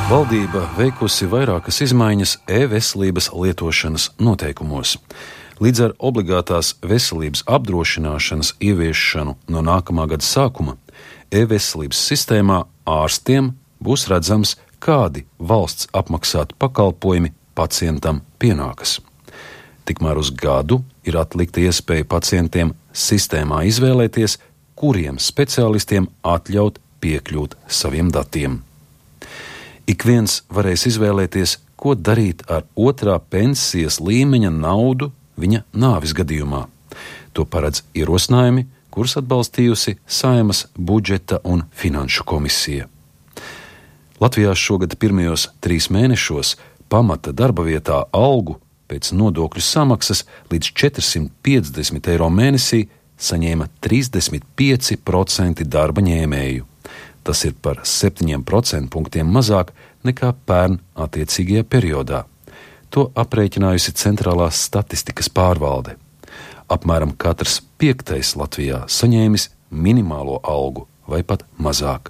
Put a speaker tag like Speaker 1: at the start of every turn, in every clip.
Speaker 1: Valdība veikusi vairākas izmaiņas e-veselības lietošanas noteikumos. Līdz ar obligātās veselības apdrošināšanas ieviešanu no nākamā gada sākuma e-veselības sistēmā ārstiem būs redzams, kādi valsts apmaksāti pakalpojumi pacientam pienākas. Tikmēr uz gadu ir atlikta iespēja pacientiem sistēmā izvēlēties, kuriem speciālistiem atļaut piekļūt saviem datiem. Ik viens varēs izvēlēties, ko darīt ar otrā pensijas līmeņa naudu viņa nāves gadījumā. To paredz ierosinājumi, kurus atbalstījusi Saeimas budžeta un finanšu komisija. Latvijā šogad pirmajos 3 mēnešos pamata darba vietā algu pēc nodokļu samaksas līdz 450 eiro mēnesī saņēma 35% darba ņēmēju. Tas ir par 7% punktiem mazāk nekā pērn attiecīgajā periodā. To aprēķinājusi Centrālās statistikas pārvalde. Apmēram katrs 5. Latvijā saņēmis minimālo algu vai pat mazāk.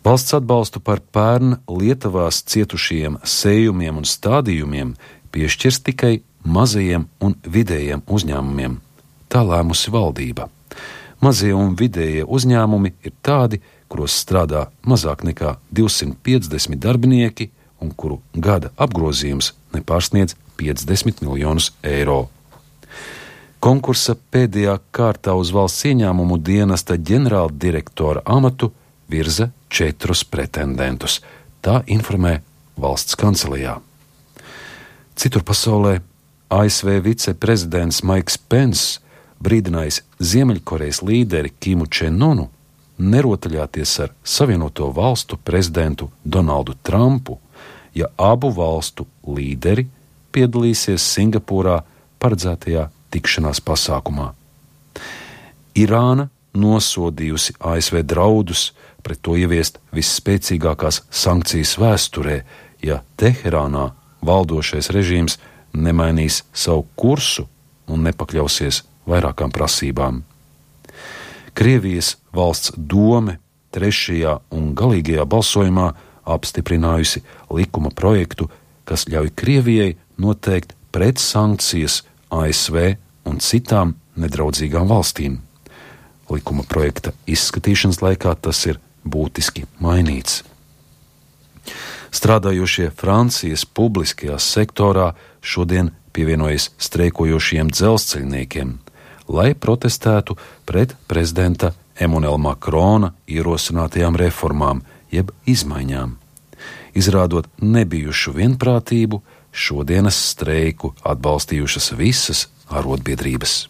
Speaker 1: Valsts atbalstu par pērn Lietuvās cietušajiem sējumiem un stādījumiem piešķirs tikai mazajiem un vidējiem uzņēmumiem. Tā lēmusi valdība. Mazie un vidējie uzņēmumi ir tādi, kuros strādā mazāk nekā 250 darbinieki un kuru gada apgrozījums nepārsniedz 50 miljonus eiro. Konkursa pēdējā kārtā uz valsts ieņēmumu dienesta ģenerāldirektora amatu virza 4 pretendentus. Tā informē valsts kancelijā. Citur pasaulē ASV viceprezidents Maiks Pence brīdinājis Ziemeļkorejas līderi Kimu Čen-unu nerotaļāties ar Savienoto valstu prezidentu Donaldu Trumpu, ja abu valstu līderi piedalīsies Singapūrā paredzētajā tikšanās pasākumā. Irāna nosodījusi ASV draudus pret to ieviest visspēcīgākās sankcijas vēsturē, ja Teherānā valdošais režīms nemainīs savu kursu un nepakļausies vairākām prasībām. Krievijas valsts dome 3. un galīgajā balsojumā apstiprinājusi likuma projektu, kas ļauj Krievijai noteikt pretsankcijas ASV un citām nedraudzīgām valstīm. Likuma projekta izskatīšanas laikā tas ir būtiski mainīts. Strādājošie Francijas publiskajā sektorā šodien pievienojas streikojošiem dzelzceļniekiem, lai protestētu pret prezidenta Emmanuela Makrona ierosinātajām reformām, jeb izmaiņām. Izrādot nebijušu vienprātību, šodienas streiku atbalstījušas visas arotbiedrības.